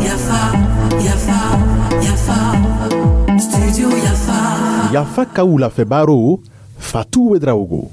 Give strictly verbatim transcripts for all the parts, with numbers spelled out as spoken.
Yafa, Yafa, Yafa, Studio Yafa. Yafa ka wulafɛ Fatou Ouédraogo.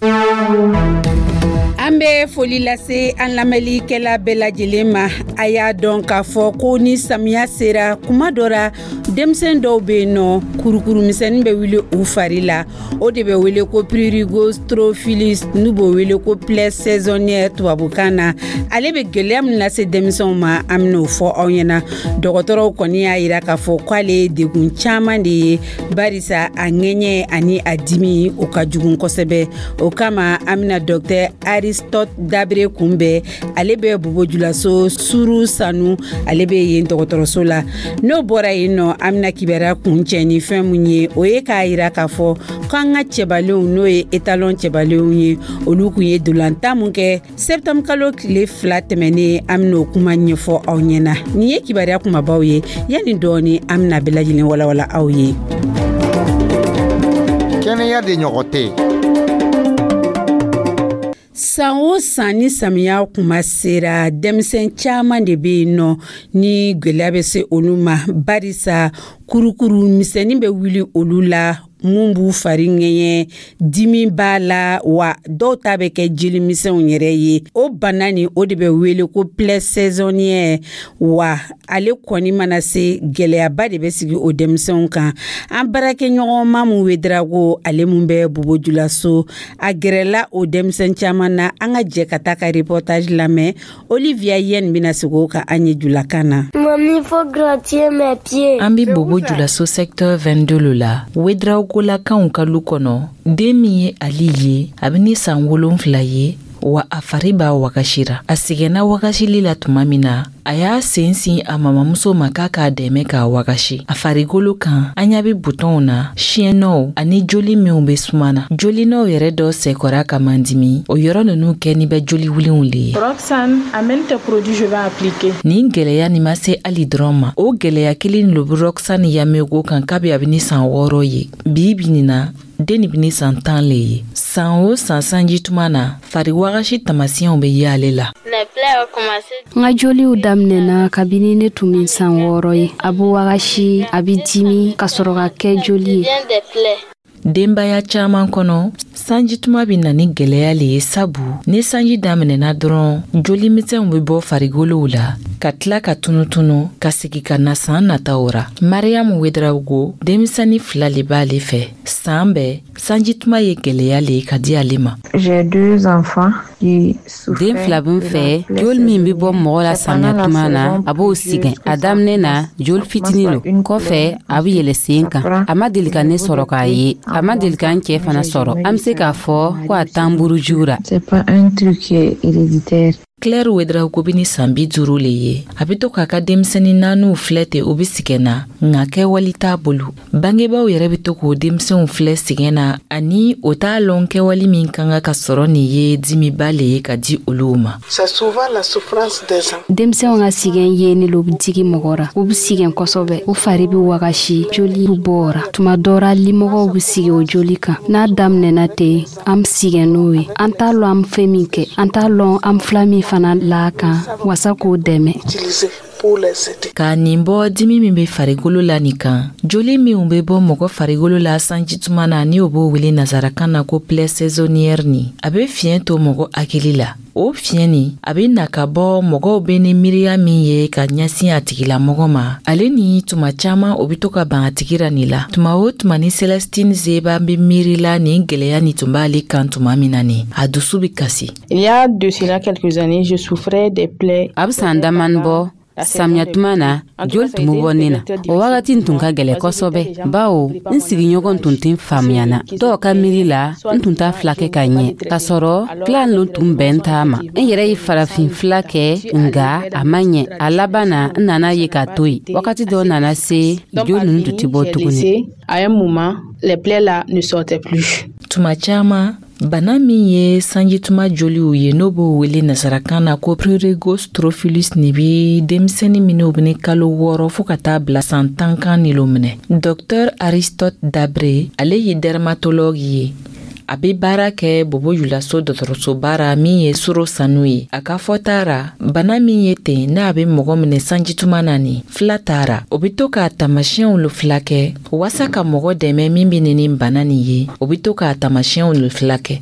An bɛ foli lase an lamɛnlikɛla bɛɛ lajɛlen ma. A y'a dɔn k'a fɔ ko ni samiya sera, kuma dɔ ra, denmisɛn dɔw bɛ yen nɔ, kurukurumisɛnnin bɛ wuli u fari la. O de bɛ wele ko prurigo strophulus, n'u b'o wele ko plaie saisonnière tubabukan na. Ale bɛ gɛlɛya min lase denmisɛnw ma, an bɛn'o fɔ aw ɲɛna. Dɔgɔtɔrɔw kɔni y'a yira k'a fɔ k'ale ye degun caman de ye, barisa a ŋɛɲɛ ani a dimi, o ka jugu kosɛbɛ. O kama, an bɛna docteur Aristote Dabre kunbɛn. Ale bɛ Bobojulaso Suru Sanu, ale bɛ yen dɔgɔtɔrɔso la. N'o bɔra yen nɔ, an bɛna kibaruya kuncɛ ni fɛn mun ye, o ye k'a yira k'a fɔ k'an ka cɛbalenw, n'o ye étalon cɛbalenw ye, olu kun ye dolantan mun kɛ septembre kalo tile fila tɛmɛnen, an bɛn'o kuma ɲɛfɔ aw ɲɛna. Nin ye kibaruya kumabaw ye. Yanni dɔɔni, an bɛna bɛɛ lajɛlen walawala aw ye. Kɛnɛya de ɲɔgɔn tɛ. San o san, ni samiya kuma sera, denmisɛn caman de bɛ yen nɔ ni gwɛlɛya bɛ se olu ma, barisa kurukuru misɛnnin bɛ wuli olu la mun b'u fari ŋɛɲɛ, dimi b'a la, wa dɔw ta bɛ kɛ jelimisɛnw yɛrɛ ye. O bana nin, o de bɛ wele ko plaie saisonnière. Wa ale kɔni mana se, gɛlɛyaba de bɛ sigi o denmisɛnw kan. An baarakɛɲɔgɔn Mamu Wedarago, ale mun bɛ Bobojulaso, a gɛrɛla o denmisɛn caman na. An ka jɛ ka taa ka reportage lamɛn. Olivia Yen bɛna segin o kan an ye julakan na. Mamie, faut gratter mes pieds. An be Bobo Julaso secteur vingt-deux lo la, Wedraogolakaw ka lu kɔnɔ. Den min ye Ali ye, a be ni san wolonfila ye, wa a fari b'a wagasira. A sɛgɛnna wagasili la tuma min na, a y'a sen sin a mamamuso ma k'a k'a dɛmɛ k'a wagasi. A farigolo kan, an ɲa be butɔnw na, siɲɛnɔw ani joli minw be suma na. Jolinɔw yɛrɛ dɔ sɛkɔra ka mandimi, o yɔrɔ nunu kɛni bɛ joli wulenw le ye. Roxane, amène tes produits, je vais appliquer. Nin gwɛlɛya nin ma se Ali dɔrɔn ma. O gwɛlɛya kelen lo be Roxane Yamego kan kabi a be ni san wɔɔrɔ ye. Bi bi nin na, den nin be ni san tan le ye. San o san, sanji tuma na, fari wagasi tamasiyɛnw be ye ale la. N ka joliw daminɛna kabini ne tun bɛ san wɔɔrɔ ye. A bɛ wagasi, a bɛ dimi, ka sɔrɔ ka kɛ joli ye. Denbaya caaman kɔnɔ, sanjituma bɛ na ni gwɛlɛya le ye, sabu ni sanji daminɛna dɔrɔn, jolimisɛnw bɛ bɔ farigolow la ka tila ka tunutunu ka segi ka na saan nataw ra. Mariyamu Wedrawogo, denmisɛni fila le b'ale fɛ. Saan bɛɛ, sanjituma ye gwɛlɛya le ye ka di ale ma. Den fila bɛ n fɛ. Joli min bɛ bɔ mɔgɔ la samiya tuma na, a b'o sigɛn. A daminɛ na, joli fitinin lo, kɔfɛ a bɛ yɛlɛ sen kan. A ma deli ka ne sɔrɔ k'a ye, a ma deli ka n cɛɛ fana sɔrɔ. An be se k'a fɔ ko a t'an buruju ra. Claire Wedraogo be ni san bi duuru le ye. A be to k'a ka denmisɛnnin naaniw filɛ ten, o be sigɛn na, nka kɛwali t'a bolo. Bangebaaw yɛrɛ be to k'o denmisɛnw filɛ sigɛn na, ani o t'a lɔn kɛwali min ka kan ka sɔrɔ. Nin ye dimiba le ye ka di olu ma. Denmisɛnw ka sigɛn yeni lo bɛ digi mɔgɔ ra. U bɛ sigɛn kosɛbɛ, u fari bɛ wagasi, joli bɛ bɔ o ra. Tuma dɔ ra, limɔgɔw bɛ sigi o joli kan. N'a daminɛna ten, an bɛ sigɛn n'o ye. An t'a lɔn an bɛ fɛn min kɛ, an t'a lɔn an fila min fana la kan wasa k'o dɛmɛ. Ka nin bɔ dimi min be farigolo la nin kan, joli minw be bɔ mɔgɔ farigolo la sanjituma na, ni o b'o wele nazarakan na ko plaie saisonnière nin, a be fiɲɛ to mɔgɔ hakili la. O fiɲɛ nin, a be na ka bɔ mɔgɔw be ni miiriya min ye ka ɲɛsin a tigilamɔgɔ ma, ale ni tuma caaman o be to ka ban a tigi ra nin la. Tuma o tuma ni Celestine Zeba be miirila nin gwɛlɛya nin tun b'ale kan tuma min na nin, a dusu be kasi. Il y a de cela quelques années, je souffrais des plaies. A bɛ san damani bɔ, samiya tuma na, joli tun bɛ bɔ ne na. O wagati tun ka gɛlɛ kosɛbɛ, bawo n sigiɲɔgɔn tun tɛ faamuya na. Dɔw ka miiri la, n tun t'a fila kɛ ka ɲɛ, k'a sɔrɔ filan lo tun bɛn t'a ma. N yɛrɛ ye farafin fila kɛ, nga a ma ɲɛ. A laban na, n nana ye k'a to yen. Wagati dɔ nana se, joli ninnu tun tɛ bɔ tuguni. À un moment, les plaies là ne sortaient plus. Tuma caman, bana min ye sanjituma joliw ye, n'o b'o wele nasarakan na ko prurigo strophulus nin, bi denmisɛnnin minw bɛ ni kalo wɔɔrɔ fɔɔ ka taa bila san tan kan nilo minɛ. Docteur Aristote Dabre, ale ye dermatologue ye. A A bɛ baara kɛ Bobo Julaso dɔgɔtɔrɔsoba ra min ye Soro Sanu ye. A ka fɔta ra, bana min ye ten n'a bɛ mɔgɔ minɛ sanjituma na nin fila t'a ra, o bɛ to k'a taamasiyɛnw lo fila kɛ waasa ka mɔgɔ dɛmɛ min bɛ nin nin bana nin ye, o bɛ to k'a taamasiyɛnw lo fila kɛ.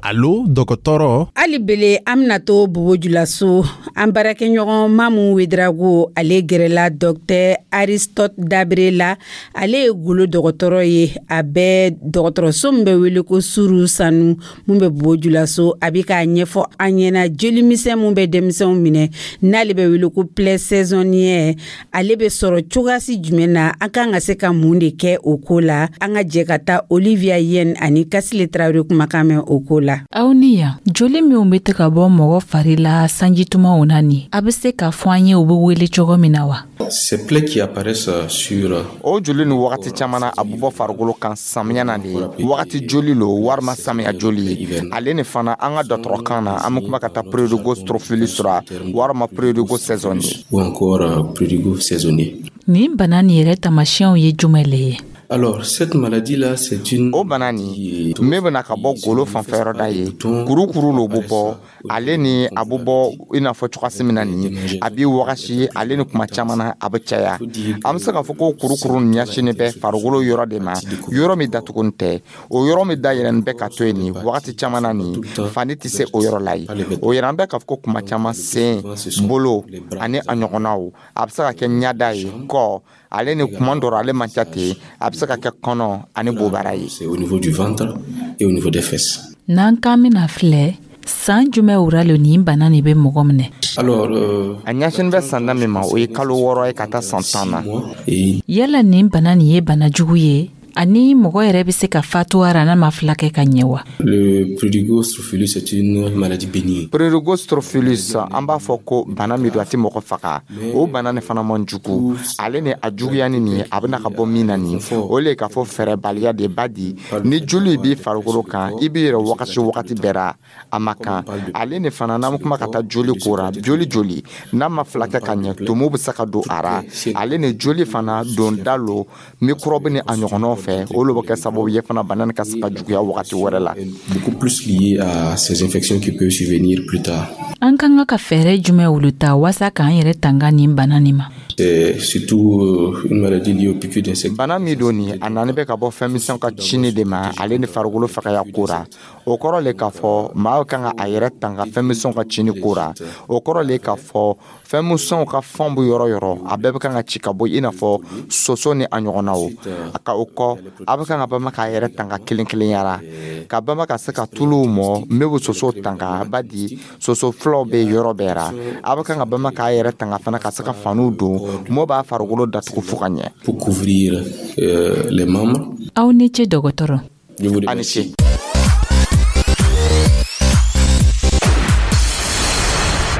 Alo dɔgɔtɔrɔ. Hali bele, an bɛna to Bobo Julaso. An baarakɛɲɔgɔn Mamu Wedrago, ale gɛrɛla Dɔktɛr Aristote Dabre la. Ale ye golo dɔgɔtɔrɔ ye, a bɛ dɔgɔtɔrɔso min bɛ wele ko Suru Sanu mun bɛ Bobo Julaso. A bɛ k'a ɲɛfɔ an ɲɛna jolimisɛn mun bɛ denmisɛnw minɛ, n'ale bɛ wele ko plaie saisonnière, ale bɛ sɔrɔ cogoyasi jumɛn na, an kan ka se ka mun de kɛ o ko la. An ka jɛ ka taa Olivia Yen ani Kasile Tarawele kumakan mɛn o ko la. Aw ni yan, joli minw bɛ to ka bɔ mɔgɔ fari la sanjitumaw na nin, a bɛ se k'a fɔ an ye u bɛ wele cogo min na wa? Ces plaies qui apparaissent sur O joli ni wagati caman na, a bɛ bɔ farikolo kan samiya na de ye, wagati joli lo walima samiya joli ye. Ale ni fana, an ka dɔgɔtɔrɔkan na, an bɛ kuma ka taa prurigo strophulus ra walima prurigo saisonnier. Ou encore prurigo saisonnier. Nin bana nin yɛrɛ taamasiyɛnw ye jumɛn le ye? Alors, cette maladie-là, c'est une. O bana nin min bɛna ka bɔ golo fanfɛ yɔrɔ da ye, kurukuru lo bɛ bɔ. Ale ni a bɛ bɔ i n'a fɔ cogoya min na nin, a bɛ wagasi, ale ni kuma caman na a bɛ caya. An bɛ se k'a fɔ ko kurukuru nin ɲɛsinnen bɛ farikolo yɔrɔ de ma, yɔrɔ min datugunin tɛ. O yɔrɔ min dayɛlɛnnen bɛ ka to yen nin wagati caman na nin, fani tɛ se o yɔrɔ la yen. O yɛrɛ, an bɛ k'a fɔ ko kuma caman sen, bolo ani a ɲɔgɔnnaw, a bɛ se ka kɛ ɲada ye, kɔ, ale ni kuma dɔ ale man ca ten, a bɛ se ka kɛ kɔnɔ ani bobara ye. C'est au niveau du ventre et au niveau des fesses. N'an k'an bɛna filɛ, san jumɛn wura lo nin bana nin bɛ mɔgɔ minɛ? Alors, euh, A ɲɛsin bɛ san min ma, o ye kalo wɔɔrɔ ye ka taa san tan na. Et Yala nin bana nin ye bana jugu ye ani mɔgɔ yɛrɛ bɛ se ka fatu a ra n'a ma fila kɛ ka ɲɛ wa? Le prurigo strophulus, c'est une maladie bénigne. Prurigo strophulus, an b'a fɔ ko bana min don, a tɛ mɔgɔ faga. O bana nin fana man jugu. Ale ni a juguyani nin, a bɛna ka bɔ min na nin, o le k'a fɔ fɛɛrɛbaliya de ba di. Ni joli b'i farikolo kan, i b'i yɛrɛ wagati wagati bɛɛ ra, a ma kan. Ale ni fana, n'an bɛ kuma ka taa joli ko ra, joli joli n'a ma fila kɛ ka ɲɛ, tumu bɛ se ka don a ra. Ale ni joli fana don da lo microbe ni a ɲɔgɔnnaw fɛ, olu bɛ kɛ sababu ye fana bana nin ka se ka juguya wagati wɛrɛ la. Beaucoup plus lié à ces infections qui peuvent survenir plus tard. An kan ka ka fɛɛrɛ jumɛn wulu ta waasa k'an yɛrɛ tanga nin bana nin ma? C'est surtout euh, une maladie liée aux piqûres d'insectes. Bana min don nin, a nani bɛ ka bɔ fɛn misɛnw ka cini de ma, ale ni farikolo fagaya ko ra. O kɔrɔ le k'a fɔ maa kan ka a yɛrɛ tanga fɛn misɛnw ka cini ko ra. O kɔrɔ le k'a fɔ fɛn misɛnw ka fɛnw bɛ yɔrɔ yɔrɔ, a bɛɛ bɛ kan ka ci ka bɔ, i n'a fɔ soso ni a ɲɔgɔnnaw. A ka o kɔ, a bɛ kan ka bama k'a yɛrɛ tanga kelen kelenyara, ka bama ka se ka tuluw mɔ min bɛ soso tanga ba di, soso filaw bɛ yɔrɔ bɛɛ ra. A bɛ kan ka bama k'a yɛrɛ tanga fana ka se ka faniw don mɔ b'a farikolo datugu fo ka ɲɛ. Pour couvrir euh, les membres. Aw ni ce, dɔgɔtɔrɔ. Je vous A ni ce. Remercie.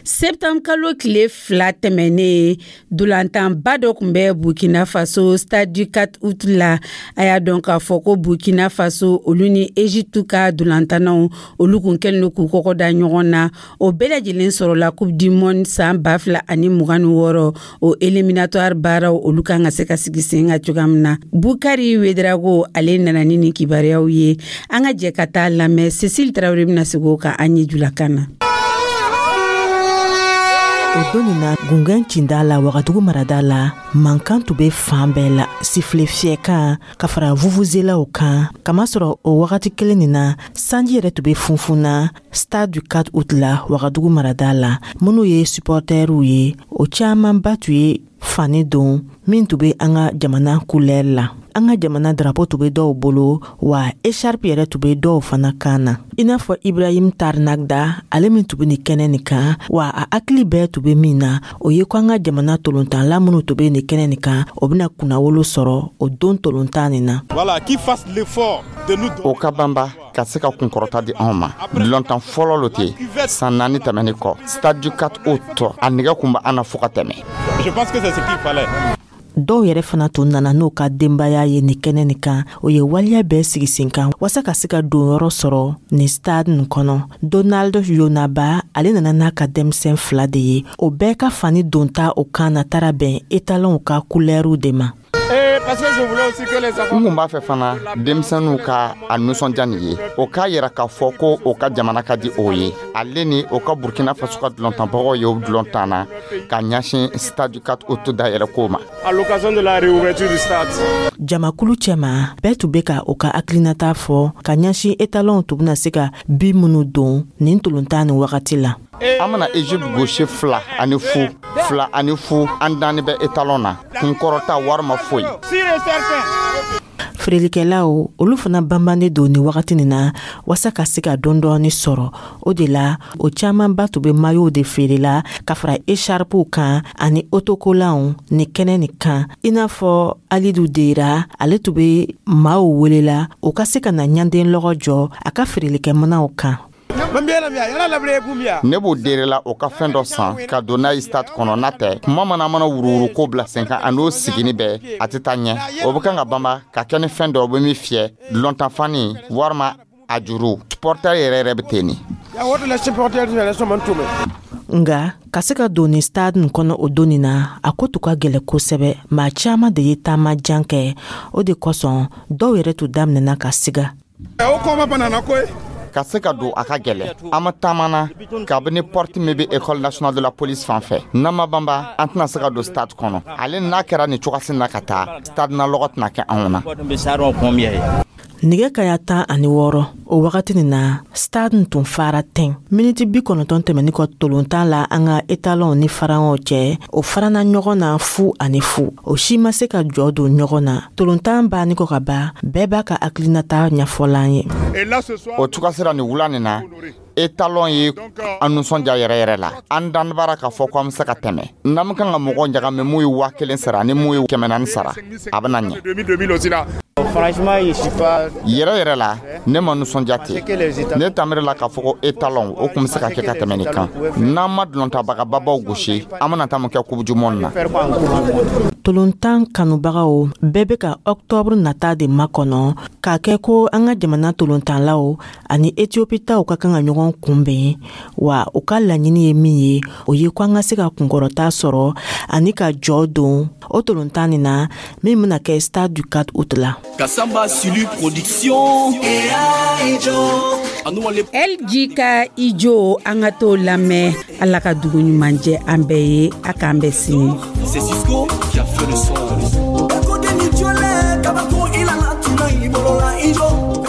Septembre kalo tile fila tɛmɛnen, dolantanba dɔ tun bɛ Burkina Faso, Stade du quatre août la. A y'a dɔn k'a fɔ ko Burkina Faso, olu ni Egypte ka dolantannaw, olu kun kɛlen don k'u kɔkɔ da ɲɔgɔn na. O bɛɛ lajɛlen sɔrɔla Coupe du monde san ba fila ani mugan ni wɔɔrɔ, o éliminatoire baaraw, olu kan ka se ka sigi sen kan cogoya min na. Bukari Wedrago, ale nana ni nin kibaruyaw ye. An ka jɛ ka taa lamɛn. Cécile Tarawele bɛna segin o kan an ye julakan na. O don nin na, gungɛn cinda la Wagadugu marada la, mankan tun bɛ fan bɛɛ la, sifile fiyɛkan ka fara vuvuzelaw kan, kamasɔrɔ o wagati kelen nin na, sanji yɛrɛ tun bɛ funfun na Stade du quatre août la Wagadugu marada la. Minnu ye supportɛriw ye, o camanba tun ye fani don min tun bɛ an ka jamana couleur la. An ka jamana drapeau tun bɛ dɔw bolo, wa écharpe yɛrɛ tun bɛ dɔw fana kan na, i n'a fɔ Ibrahim Tarnagda, ale min tun bɛ nin kɛnɛ nin kan. Wa a hakili bɛɛ tun bɛ min na, o ye ko an ka jamana tolontanla minnu tun bɛ nin kɛnɛ nin kan, o bɛna kunnawolo sɔrɔ o don tolontan nin na. Voilà, qui fasse l'effort de nous O ka banba ka se ka kunkɔrɔta di anw ma. Lɔntan fɔlɔ lo ten san naani tɛmɛni kɔ, Stade du quatre août, a nɛgɛ kun bɛ an na fo ka tɛmɛ. Je pense que c'est ce qu'il fallait. Dɔw yɛrɛ fana tun nana n'u ka denbaya ye nin kɛnɛ nin kan. O ye waleya bɛɛ sigi sen kan waasa ka se ka donyɔrɔ sɔrɔ nin stade nin kɔnɔ. Donald Yonaba, ale nana n'a ka denmisɛn fila de ye. O bɛɛ ka fani donta o kan na taara bɛn étalonw ka kulɛriw de ma. N kun b'a fɛ fana denmisɛnninw ka a nisɔndiya nin ye, o k'a yira k'a fɔ ko o ka jamana ka di o ye, ale ni o ka Burkina Faso ka dulɔntanbagaw ye o dulɔntan na ka ɲɛsin Stade quatre Août dayɛlɛ ko ma. Jamakulu cɛma, bɛɛ tun be ka o ka hakilinata fɔ ka ɲɛsin étalonw tun bena se ka bi minnu don nin tolontan nin wagati la. An bena Egypte gosi fila ani fu, fila ani fu. An danni bɛ étalon na, kunkɔrɔta warima foyi. Feerelikɛlaw, olu fana banbannen don nin wagati nin na waasa ka se ka dɔɔni sɔrɔ. O de la, o caamanba tun be maillotw de feerela ka fara écharpew kan ani autocollanw ni kɛnɛ nin kan. I n'a fɔ Alidu Dera, ale tun be maaw welela o ka se ka na ɲanden lɔgɔ jɔ a ka feerelikɛmanaw kan. Ne b'o derela o ka fɛn dɔ san ka don n'a ye stade kɔnɔ. N'a tɛ kuma mana mana wuruwuru ko bila sen kan, a n'o sigini bɛɛ, a tɛ taa ɲɛ. O bɛ kan ka banba ka kɛ ni fɛn dɔ o bɛ min fiyɛ lɔntanfani walima a juru. Supporter yɛrɛ yɛrɛ bɛ ten nin. Nga ka se ka don ni stade nin kɔnɔ o don nin na, a ko tun ka gwɛlɛ kosɛbɛ. Maa caaman de ye taama jan kɛ. O de kosɔn, dɔw yɛrɛ tun daminɛna ka siga. Ka se ka don, a ka gɛlɛ. An ma taamana kabini porte min bɛ École nationale de la police fan fɛ. N'an ma banba, an tɛna se ka don stade kɔnɔ. Ale n'a kɛra nin cogosi na ka taa stade na, lɔgɔ tɛna kɛ anw na. Nɛgɛ kaya tan ani wɔɔrɔ, o wagati nin na, stade tun fara tɛn. Miniti bi kɔnɔntɔn tɛmɛni kɔ tolontan la, an ka étalonw ni pharaonw cɛ, o farana ɲɔgɔn na fu ani fu. O si ma se ka jɔ don ɲɔgɔn na. Tolontan banni kɔ ka ban, bɛɛ b'a ka hakilinata ɲɛfɔlan ye. O cogoya sera nin wula nin na, étalon ye an nisɔndiya yɛrɛ yɛrɛ la. An danbara k'a fɔ ko an bɛ se ka tɛmɛ. N'an bɛ kan ka mɔgɔw ɲagami, mun ye waa kelen sara ni mun ye kɛmɛ naani sara, a bɛ na ɲɛ yɛrɛ yɛrɛ la. Ne ma nisɔndiya ten. Ne tamiri la k'a fɔ ko étalon o tun bɛ se ka kɛ ka tɛmɛ nin kan. N'an ma dulɔntabagababaw gosi, an bɛna taa mun kɛ Coupe du monde na? Tolontan kanubagaw bɛɛ bɛ ka ɔktɔburu nata de makɔnɔ k'a kɛ ko an ka jamana tolontanlaw ani Etiyopitaw ka kan ka ɲɔgɔn kunbɛn. Wa u ka laɲini ye min ye, o ye ko an ka se ka kunkɔrɔta sɔrɔ ani ka jɔ don o tolontan nin na min bɛna kɛ Stade du quatre Août la. Kasamba Sulu Production. L G ka Ijo, an ka t'o lamɛn. Ala ka dugu ɲuman jɛ an bɛɛ ye. A k'an bɛɛ sini. C'est Cisco qui a fait le son. Kabako i la tuna i bolo la i jɔ.